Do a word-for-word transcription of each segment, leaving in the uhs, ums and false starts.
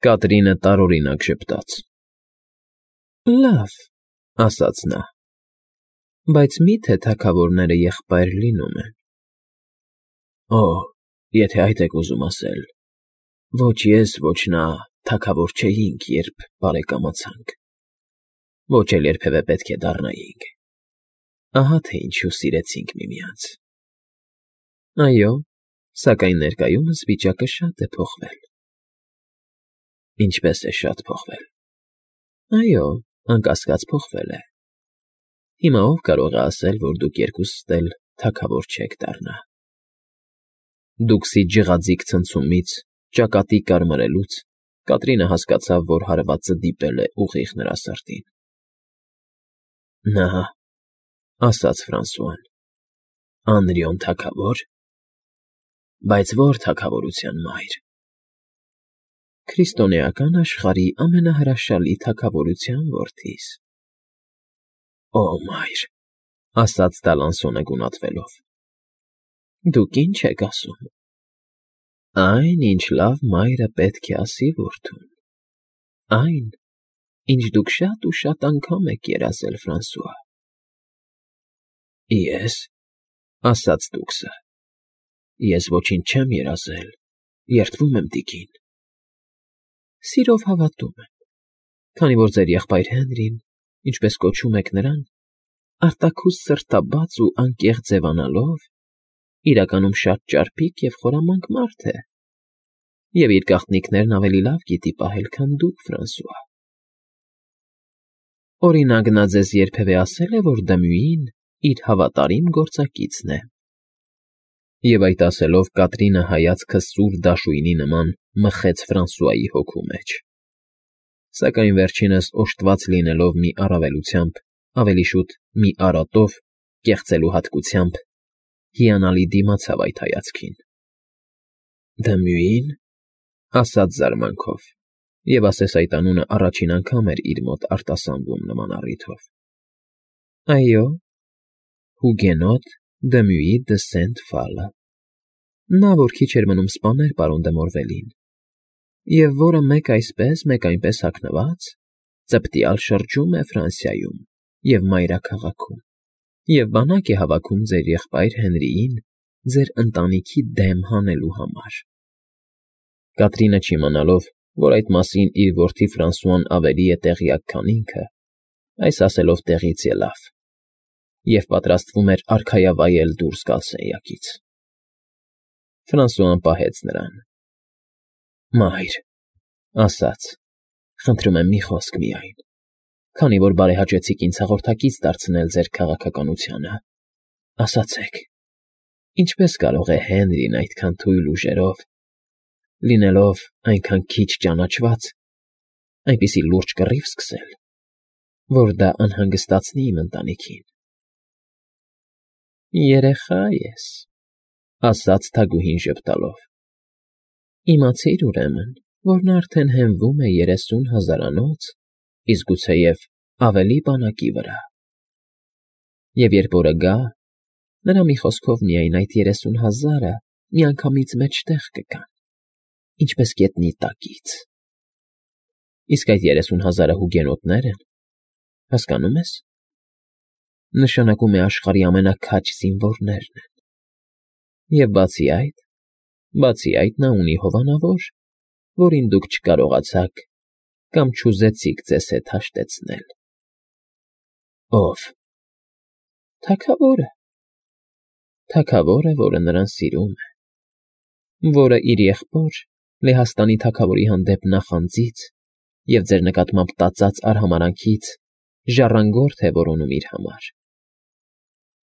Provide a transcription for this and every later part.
Կատրինը տարօրինակ ժպտաց։ Լավ, ասաց նա, բայց մի՞թե թագավորները եղբայր լինում են։ Օ, եթե այդ եք ուզում ասել, ոչ ես, ոչ նա թագավոր չէինք, երբ բարեկամացանք, ոչ էլ երբևէ պետք է դառնայինք, ահա թե ինչու սիրեցինք միմյանց։ Այո, սակայն ներկայումս վիճակը շատ է փոխվել։ Ինչպե՞ս է շատ փոխվել։ Այո, անկասկած փոխվել է։ Հիմա ով կարող է ասել, որ դուք երկուստ էլ թագավոր չեք դառնա։ Դուքսի ջղաձիգ ցնցումից, ճակատի կարմրելուց Կատրինը հասկացավ, որ հարվածը դիպել է ուղիղ նրա սրտին։ Նա, ասաց Ֆրանսուան, Անրիոն թագավո՞ր։ Բայց ո՞ր թագավորության մայր։ Քրիստոնեական աշխարհի ամենահրաշալի թագավորության որդիս։ Օ, մայր, ասաց Դալանսոնը գունատվելով։ Դուք ի՞նչ եք ասում։ Այն, ինչ լավ մայրը պետք է ասի որդուն։ Այն, ինչ դուք շատ ու շատ անգամ եք երազել, Ֆրանսուଆ։ Ես, ասաց դուքսը, ես ոչինչ չեմ երազել, երդվում եմ, տիկին։ Սիրով հավատում եմ, քանի որ ձեր եղբայր Հենրին, ինչպես կոչում եք նրան, արտաքուստ սրտաբաց ու անկեղծ ձևանալով, իրականում շատ ճարպիկ և խորամանկ մարդ է, և իր գաղտնիքներն ավելի լավ գիտի պահել, քան դուք, Ֆրանսուଆ։ Օրինակ, նա ձեզ երբևէ ասե՞լ է, որ Դմյուին իր հավատարիմ գործակիցն է։ Եվ այդ ասելով Կատրինը հայացքը սուր դաշույնի նման մխեց Ֆրանսուայի հոգու մեջ։ Սակայն վերջինս օժտված լինելով մի առավելությամբ, ավելի շուտ մի արատով, կեղծելու հատկությամբ, հիանալի դիմացավ այդ հայացքին։ Դմյուի՞ն, ասաց զարմանքով, և ասես այդ անունը առաջին անգամ էր իր մոտ արտասանվում նման առիթով։ Այո, Հուգենոտ Դմյուի դը Սենտ֊Ֆալը, նա, որ քիչ էր մնում սպաներ պարոն դը Մորվելին, և որը մեկ այսպես, մեկ այնպես հագնված, ծպտյալ շրջում է Ֆրանսիայում և մայրաքաղաքում, և բանակ է հավաքում ձեր եղբայր Հենրիին ձեր ընտանիքի դեմ հանելու համար։ Կատրինը չիմանալով, որ այդ մասին իր որդի Ֆրանսուան ավելի է տեղյակ, քան ինքը, այս ասելով տեղից ելավ և պատրաստվում էր արքայավայել դուրս գալ սենյակից։ Ֆրանսուան պահեց նրան։ Մայր, ասաց, խնդրում եմ մի խոսք միայն, քանի որ բարեհաճեցիք ինձ հաղորդակից դարձնել ձեր քաղաքականությանը, ասացեք, ինչպե՞ս կարող է Հենրին այդքան թույլ ուժերով, լինելով այնքան քիչ ճանաչված, այնպիսի լուրջ կռիվ սկսել, որ դա անհանգստացնի իմ ընտանիքին։ Երեխա ես, ասաց թագուհին ժպտալով։ Իմացիր, ուրեմն, որ նա արդեն հենվում է երեսուն հազարանոց, իսկ գուցեև ավելի բանակի վրա։ Եվ երբ օրը գա, նրա մի խոսքով միայն այդ երեսուն հազարը միանգամից մեջտեղ կգան, ինչպես գետնի տակից։ Իսկ այդ երեսուն հազարը հուգենոտներ են, հասկանո՞ւմ ես։ Նշանակում է աշխարհի ամենաքաջ զինվորներն են։ Եվ բացի այդ, բացի այդ նա ունի հովանավոր, որին դուք չկարողացաք կամ չուզեցիք ձեզ հետ հաշտեցնել։ Ո՞վ։ Թագավորը։ Թագավորը, որը նրան սիրում է, որը իր եղբոր Լեհաստանի թագավորի հանդեպ նախանձից և ձեր նկատմամբ տածած արհամարհանքից ժառանգորդ է որոնում իր համար։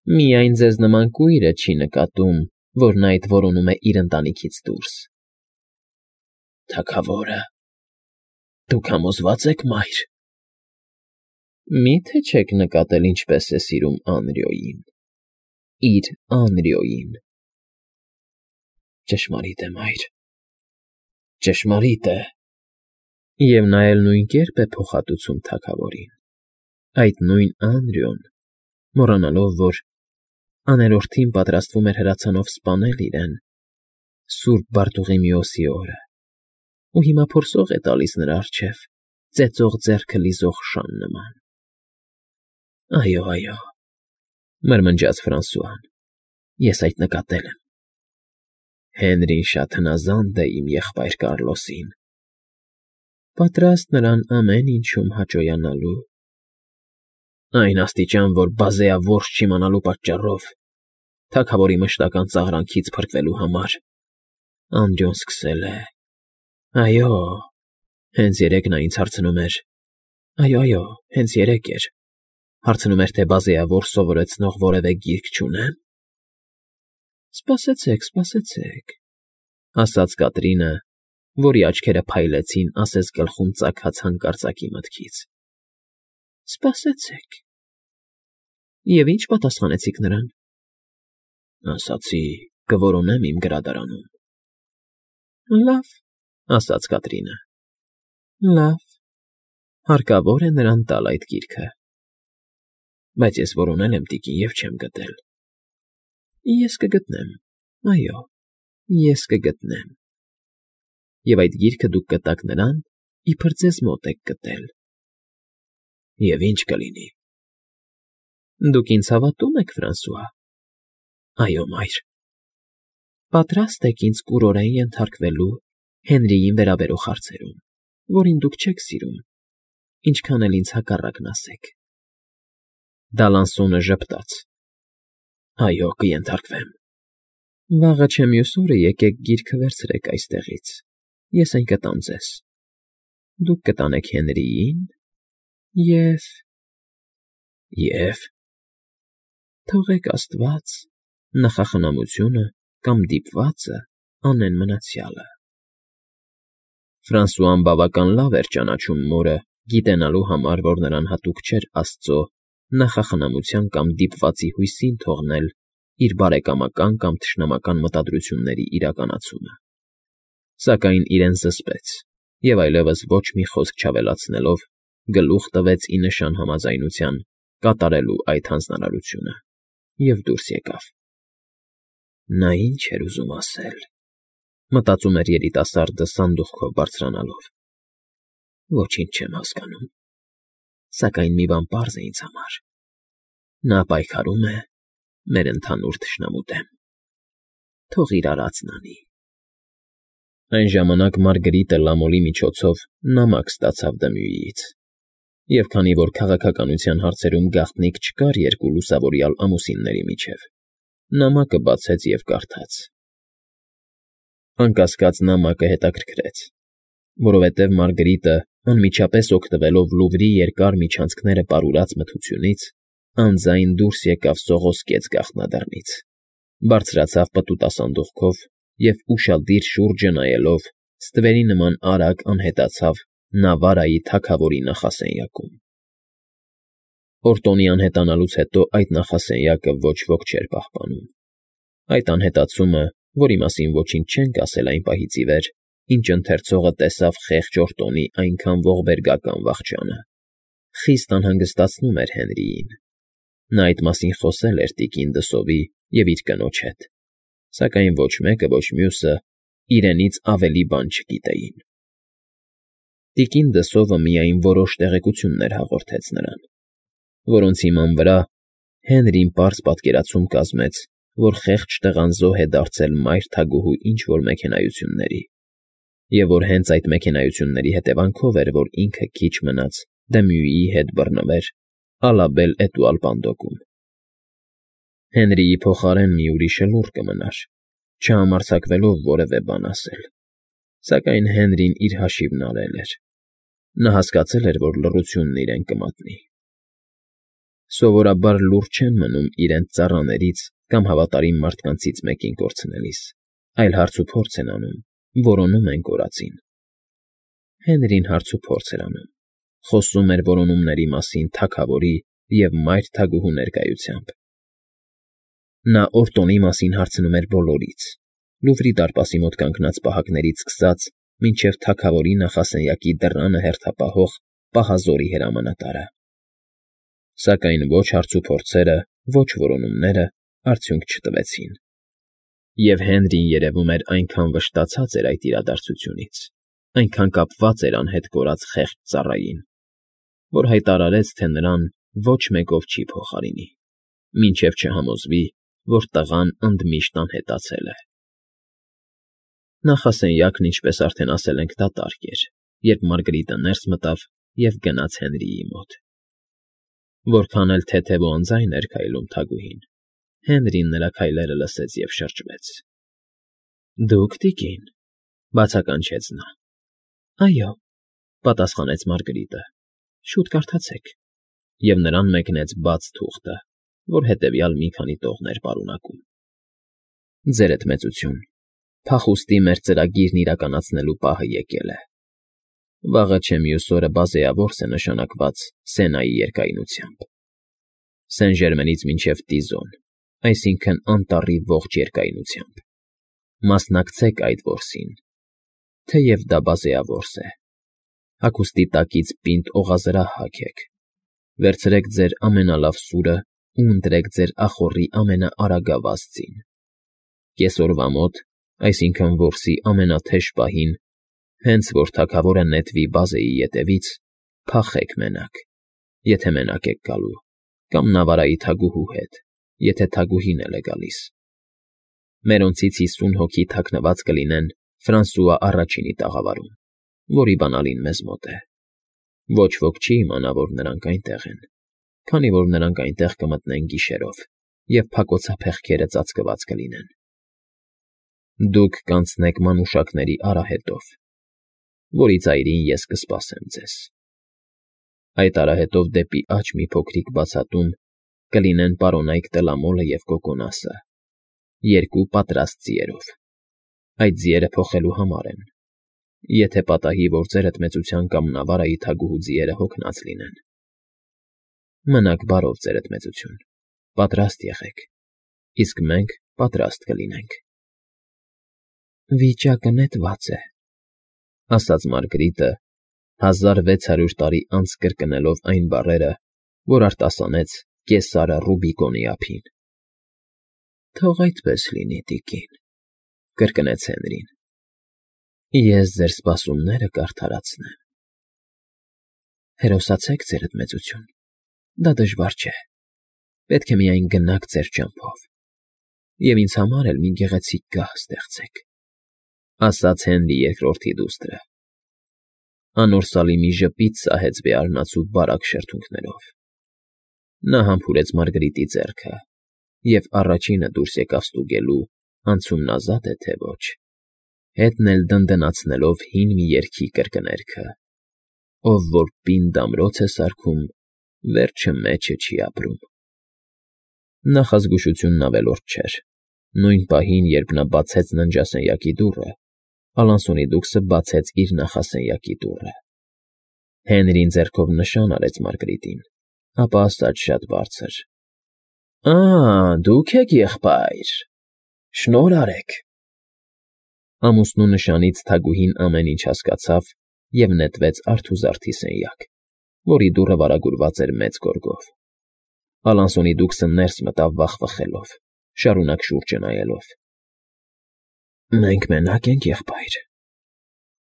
Միայն ձեզ նման կույրը չի նկատում, որ նա այդ որոնում է իր ընտանիքից դուրս։ Թագավորը։ Դուք համոզվա՞ծ եք, մայր։ Մի՞թե չեք նկատել, ինչպես է սիրում Անրիոյին, իր Անրիոյին։ Ճշմարիտ է, մայր, ճշմարիտ է։ Եվ նա էլ նույն կերպ է փոխհատուցում թագավորին, այդ նույն Անրիոն, մոռանալով, որ աներորդին պատրաստվում էր հրացանով սպանել իրեն Սուրբ Բարտուղիմեոսի օրը, ու հիմա փորսող է տալիս նրա առջև, ծեծող ձեռքը լիզող շան նման։ ֊ Այո, այո, մրմնջաց Ֆրանսուան, ես այդ նկատել եմ։ Հենրին շատ հնազանդ է իմ եղբայր Կառլոսին, պատրաստ նրան ամեն ինչում հաճոյանալու, այն աստիճան, որ բազեա որս չիմանալու պատճառով, թագավորի մշտական ծաղրանքից փրկվելու համար, Անդրեոն սկսել է… Այո, հենց երեկ նա ինձ հարցնում էր… Այո, այո, հենց երեկ էր… Հարցնում էր, թե բազեավոր սովորեցնող որևէ գիրք չունե՞մ։ Սպասեցեք, սպասեցեք, ասաց Կատրինը, որի աչքերը փայլեցին ասես գլխում ծագած հանկարծակի մտքից։ Սպասեցեք… Եվ ի՞նչ պատասխանեցիք նրան։ Ասացի, կորոնեմ իմ գրադարանում։ Լավ, ասաց Կատրինը, լավ, հարկավոր է նրան տալ այդ գիրքը։ Բայց ես որոնել եմ, տիկին, և չեմ գտել։ Ես կգտնեմ, այո, ես կգտնեմ։ Եվ այդ գիրքը դուք կտաք նրան, իբր ձեզ մոտ եք գտել։ Եվ ի՞նչ կլինի։ Դուք ինձ հավատո՞ւմ եք, Ֆրանսուଆ։ Այո, մայր։ Պատրաստ եք ինձ կուրորեն ենթարկվելու Հենրիին վերաբերող հարցերում, որին դուք չեք սիրում, ինչքան էլ ինձ հակառակն ասեք։ Դալանսոնը ժպտաց։ Այո, կենթարկվեմ։ Վաղը չէ մյուս օրը եկեք գիրքը վերցրեք այստեղից, ես այն կտամ ձեզ։ Դուք կտանեք Հենրիին և… Եվ… Թողեք աստված, նախախնամությունը կամ դիպվածը անեն մնացյալը։ Ֆրանսուան բավական լավ էր ճանաչում մորը, գիտենալու համար, որ նրան հատուկ չէր աստծո նախախնամության կամ դիպվածի հույսին թողնել իր բարեկամական կամ թշնամական մտադրությունների իրականացումը, սակայն իրեն զսպեց և այլևս ոչ մի խոսք չավելացնելով գլուխ տվեց ի նշան համաձայնության կատարելու այդ հանձնարարությունը և դուրս եկավ։ Նա ի՞նչ էր ուզում ասել, մտածում էր երիտասարդը սանդուղքով բարձրանալով։ Ոչինչ չեմ հասկանում, սակայն մի բան պարզ է ինձ համար. նա պայքարում է մեր ընդհանուր թշնամու դեմ։ Թող իր արածն անի։ Այն ժամանակ Մարգրիտը Լամոլի միջոցով նամակ ստացավ Դմյուիից, և քանի որ քաղաքականության հարցերում գաղտնիք չկար երկու լուսավորյալ ամուսինների միջև, նամակը բացեց և կարդաց։ Անկասկած նամակը հետաքրքրեց, որովհետև Մարգրիտը, անմիջապես օգտվելով Լուվրի երկար միջանցքները պարուրած մթությունից, անձայն դուրս եկավ սողոսկեց գաղտնադռնից, բարձրացավ պտուտասանդուղքով և ուշադիր շուրջը նայելով ստվերի նման արագ անհետացավ Նավարայի թագավորի նախասենյակում։ Օրտոնի անհետանալուց հետո այդ նախասենյակը ոչ ոք չէր պահպանում։ Այդ անհետացումը, որի մասին ոչինչ չենք ասել այն պահից ի վեր, ինչ ընթերցողը տեսավ խեղճ Օրտոնի այնքան ողբերգական վախճանը, խիստ անհանգստացնում էր Հենրիին։ Նա այդ մասին խոսել էր տիկին Դսովի և իր կնոջ հետ, սակայն ոչ մեկը, ոչ մյուսը իրենից ավելի բան չգիտեին։ Տիկին Դսովը միայն որոշ տեղեկություններ հաղորդեց նրան, որոնց հիման վրա Հենրին պարզ պատկերացում կազմեց, որ խեղճ տղան զոհ է դարձել մայր թագուհու ինչ֊որ մեքենայությունների, և որ հենց այդ մեքենայությունների հետևանքով էր, որ ինքը քիչ մնաց Դմյուիի հետ բռնվեր Ալաբել֊էտուալ֊Պանդոկում։ Հենրիի փոխարեն մի ուրիշը լուռ կմնար, չհամարձակվելով որևէ բան ասել, սակայն Հենրին իր հաշիվն արել էր։ Նա հասկացել էր, որ լռությունն իրեն կմատնի։ Սովորաբար լուռ չեն մնում իրենց ծառաներից կամ հավատարիմ մարդկանցից մեկին կորցնելիս, այլ հարցուփորձ են անում, որոնում են կորածին։ Հենրին հարցուփորձ էր անում, խոսում էր որոնումների մասին թագավորի և մայր թագուհու ներկայությամբ։ Նա Օրտոնի մասին հարցնում էր բոլորից, Լուվրի դարպասի մոտ կանգնած պահակներից սկսած մինչև թագավորի նախասենյակի դռանը հերթապահող պահազորի հրամանատարը։ Սակայն ոչ հարցուփորձերը, ոչ որոնումները արդյունք չտվեցին։ Եվ Հենրին, երևում էր, այնքան վշտացած էր այդ իրադարձությունից, այնքան կապված էր անհետ կորած խեղճ ծառային, որ հայտարարեց, թե նրան ոչ մեկով չի փոխարինի, մինչև չհամոզվի, որ տղան ընդմիշտ անհետացել է։ Նախասենյակն, ինչպես արդեն ասել ենք, դատարկ էր, երբ Մարգարիտը ներս մտավ և գնաց Հենրիի մոտ։ Որքան էլ թեթև ու անձայն էր քայլում թագուհին, Հենրին նրա քայլերը լսեց և շրջվեց։ ֊ Դուք, տիկին,֊ բացականչեց նա։ ֊ Այո,֊ պատասխանեց Մարգարիտը,֊ շուտ կարդացեք։ Եվ նրան մեկնեց բաց թուղթը, որ հետևյալ մի քանի տողեր պարունակում. Ձերդ մեծություն, փախուստի մեր ծրագիրն իրականացնելու պահը եկել է։ Վաղը չէ մյուս օրը բազեավորս է նշանակված Սենայի երկայնությամբ, Սեն֊Ժերմենից մինչև Տիզոն, այսինքն՝ անտառի ողջ երկայնությամբ։ Մասնակցեք այդ որսին, թեև դա բազեավորս է։ Հագուստի տակից պինդ օղազրահ հագեք, վերցրեք ձեր ամենալավ սուրը ու ընտրեք ձեր ախոռի ամենաարագավազ ձին։ Կեսօրվա մոտ, այսինքն՝ որսի ամենաթեժ պահին, հենց որ թագավորը նետվի բազեի ետևից, փախեք մենակ, եթե մենակ եք գալու, կամ նավարայի թագուհու հետ, եթե թագուհին էլ է գալիս։ Մերոնցից հիսուն հոգի թաքնված կլինեն Ֆրանսուଆ առաջինի տաղավարում, որի բանալին մեզ մոտ է։ Ոչ ոք չի իմանա, որ նրանք այնտեղ են, քանի որ նրանք այնտեղ կմտնեն գիշերով, և փակոցափեղկերը ծածկված կլինեն։ Դուք կանցնեք մանուշակների արահետով, որի ծայրին ես կսպասեմ ձեզ։ Այդ արահետով դեպի աջ մի փոքրիկ բացատում կլինեն պարոնայք Տելամոլը և Կոկոնասը, երկու պատրաստ ձիերով։ Այդ ձիերը փոխելու համար են, եթե պատահի, որ ձերդ մեծության կամ նավարայի թագուհու ձիերը հոգնած լինեն։ Մնաք բարով, ձերդ մեծություն, պատրաստ եղեք, իսկ մենք պատրաստ կլինենք։ Վիճակը նետված է,֊ ասաց Մարգարիտը, հազար վեց հարյուր տարի անց կրկնելով այն բառերը, որ արտասանեց կեսարը Ռուբիկոնի ափին։ ֊ Թող այդպես լինի, տիկին,֊ կրկնեց Հենրին։ Ես ձեր սպասումները կարդարացնեմ։ Հերոսացեք, ձերդ մեծություն, դա դժվար չէ, պետք է միայն գնաք ձեր ճամփով, և ինձ համար էլ մի գեղեցիկ գահ ստեղծեք,֊ ասաց Հենրի երկրորդի դուստրը։ Անոր սալի մի ժպիտ սահեց բեարնացու բարակ շրթունքներով։ Նա համբուրեց Մարգարիտի ձեռքը, և առաջինը դուրս եկավ ստուգելու՝ անցումնազա՞դ է, թե ոչ, հետն էլ դնդնացնելով հին մի երգի կրկներգը. Ով որ պինդ ամրոց է սարքում, վերջը մեջը չի ապրում։ Նախազգուշությունն ավելորդ չէր։ Նույն պահին, երբ նա բացեց ննջասենյակի դուռը, Ալանսոնի դուքսը բացեց իր նախասենյակի դուռը։ Հենրին ձեռքով նշան արեց Մարգարիտին, ապա ասաց շատ բարձր. Ա՜, դուք եք, եղբայր, շնորհ արեք։ Ամուսնու նշանից թագուհին ամեն ինչ հասկացավ և նետվեց արթուզարդի սենյակ, որի դուռը վարագուրված էր մեծ գորգով։ Ալանսոնի դուքսը ներս մտավ վախվխելով, շարունակ շուրջը նայելով։ ֊ Մենք մենակ ենք, եղբայր,֊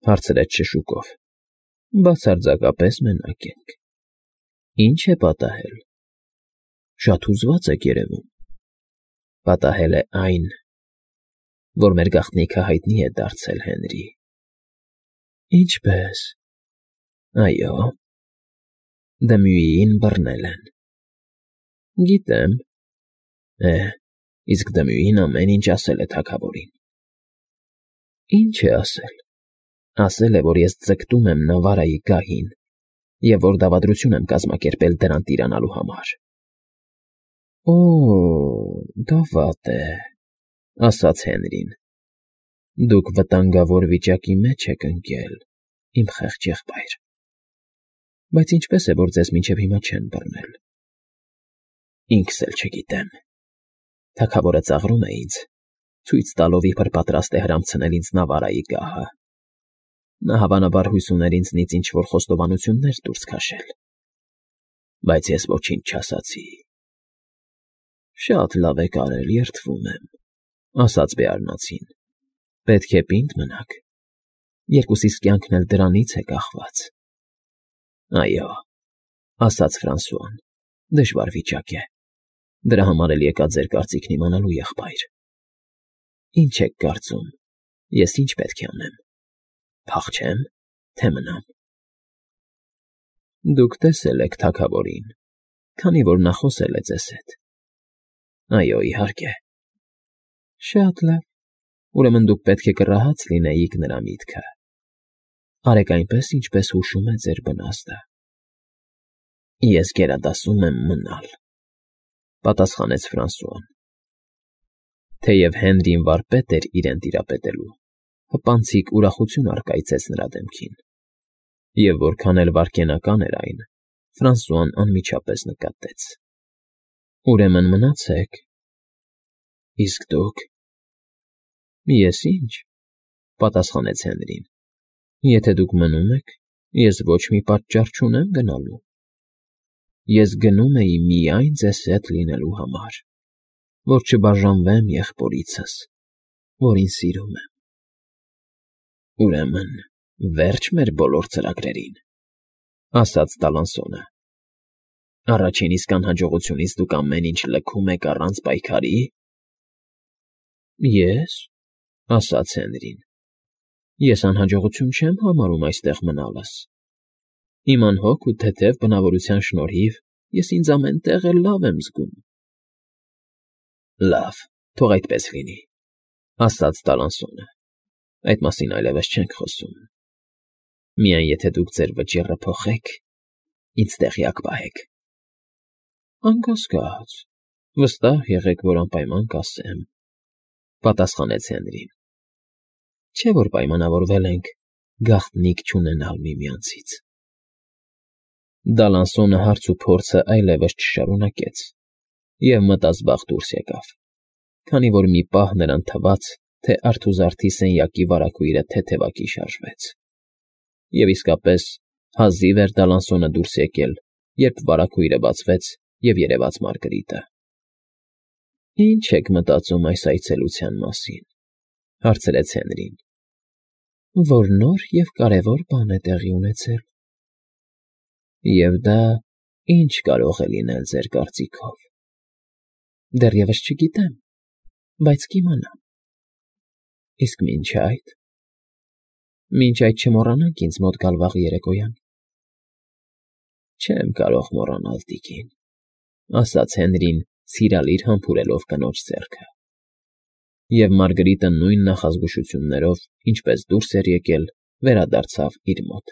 հարցրեց շշուկով։ ֊ Բացարձակապես մենակ ենք։ ֊ Ի՞նչ է պատահել։ ֊ Շատ հուզված եք երևում։ ֊ Պատահել է այն, որ մեր գաղտնիքը հայտնի է դարձել, Հենրի։ ֊ Ինչպե՞ս։ ֊ Այո, Դմյուիին բռնել են։ ֊ Գիտեմ։ ֊ Է, իսկ Դմյուին ամեն ինչ ասել է թագավորին։ ֊ Ի՞նչ է ասել։ ֊ Ասել է, որ ես ձգտում եմ Նավարայի գահին և որ դավադրություն եմ կազմակերպել դրան տիրանալու համար։ ֊ Օ՜, դա վատ է,֊ ասաց Հենրին։ ֊ Դուք վտանգավոր վիճակի մեջ եք ընկել, իմ խեղճ եղբայր։ Բայց ինչպե՞ս է, որ ձեզ մինչև հիմա չեն բռնել։ ֊ Ինքս էլ չգիտեմ։ Թագավորը ծաղրում է ինձ, ցույց տալով, իբր պատրաստ է հրամցնել ինձ Նավարայի գահը։ Նա հավանաբար հույս ուներ ինձնից ինչ֊որ խոստովանություններ դուրս քաշել։ Բայց ես ոչինչ չասացի։ ֊ Շատ լավ եք արել, երդվում եմ,֊ ասաց բեարնացին։ ֊ Պետք է պինդ մնաք։ Երկուսիս կյանքն էլ դրանից է կախված։ ֊ Այո,֊ ասաց Ֆրանսուան,֊ դժվար վիճակ է։ Դրա համար էլ եկա ձեր կարծիքն իմանալու, եղբայր։ Ինչ եք կարծում, ես ինչ պետք է անեմ, փախչե՞մ, թե մնամ։ Դուք տեսել եք թագավորին, քանի որ նա խոսել է ձեզ հետ։ ֊ Այո, իհարկե։ ֊ Շատ լավ, ուրեմն դուք պետք է կռահած լինեիք նրա միտքը։ Արեք այնպես, ինչպես հուշում է ձեր բնազդը։ ֊ Ես գերադասում եմ մնալ,֊ պատասխանեց Ֆրանսուան։ Թեև Հենրին վարպետ էր իրեն տիրապետելու, հպանցիկ ուրախություն առկայծեց նրա դեմքին, և որքան էլ վայրկենական էր այն, Ֆրանսուան անմիջապես նկատեց։ ֊ Ուրեմն մնացեք։ ֊ Իսկ դուք։ ֊ Ես ի՞նչ,֊ պատասխանեց Հենրին։ Եթե դուք մնում եք, ես ոչ մի պատճառ չունեմ գնալու։ Ես գնում էի միայն ձեզ հետ լինելու համար, որ չբաժանվեմ եղբորիցս, որին սիրում եմ։ ֊ Ուրեմն վե՞րջ մեր բոլոր ծրագրերին,֊ ասաց Տալանսոնը։ Առաջին իսկ անհաջողությունից դուք ամեն ինչ լքում եք առանց պայքարի։ ֊ Ե՞ս,֊ ասաց Հենրին,֊ ես անհաջողություն չեմ համարում այստեղ մնալս։ Իմ անհոգ ու թեթև բնավորության շնորհիվ ես ինձ ամեն տեղ էլ լավ եմ զգում։ ֊ Լավ, թող այդպես լինի,֊ ասաց Տալանսոնը։ Այդ մասին այլևս չենք խոսում։ Միայն եթե դուք ձեր վճիռը փոխեք, ինձ տեղյակ պահեք։ ֊ Անկասկած, վստահ եղեք, որ անպայման կասեմ,֊ պատասխանեց Հենրին։ Չէ՞ որ պայմանավորվել ենք գաղտնիք չունենալ միմյանցից։ Դալանսոնը հարց ու փորձը այլևս չշարունակեց և մտազբաղ դուրս եկավ, քանի որ մի պահ նրան թվաց, թե արթուզարդի սենյակի վարագույրը թեթևակի շարժվեց։ Եվ իսկապես հազիվ էր Դալանսոնը դուրս եկել, երբ վարագույրը բացվեց, և երևաց Մարգրիտը։ ֊ Ի՞նչ եք մտածում այս այցելության մասին,֊ հարցրեց Հենրին։ ֊ Որ նոր և կարևոր բան է տեղի ունեցել։ ֊ Եվ դա ի՞նչ կարող է լինել ձեր կարծիքով։ ֊ Դեռևս չգիտեմ, բայց կիմանամ։ ֊ Իսկ մինչ այդ։ ֊ Մինչ այդ չմոռանաք ինձ մոտ գալ վաղ երեկոյան։ ֊ Չեմ կարող մոռանալ, տիկին,֊ ասաց Հենրին սիրալիր համբուրելով կնոջ ձեռքը։ Եվ Մարգրիտը նույն նախազգուշություններով, ինչպես դուրս էր եկել, վերադարձավ իր մոտ։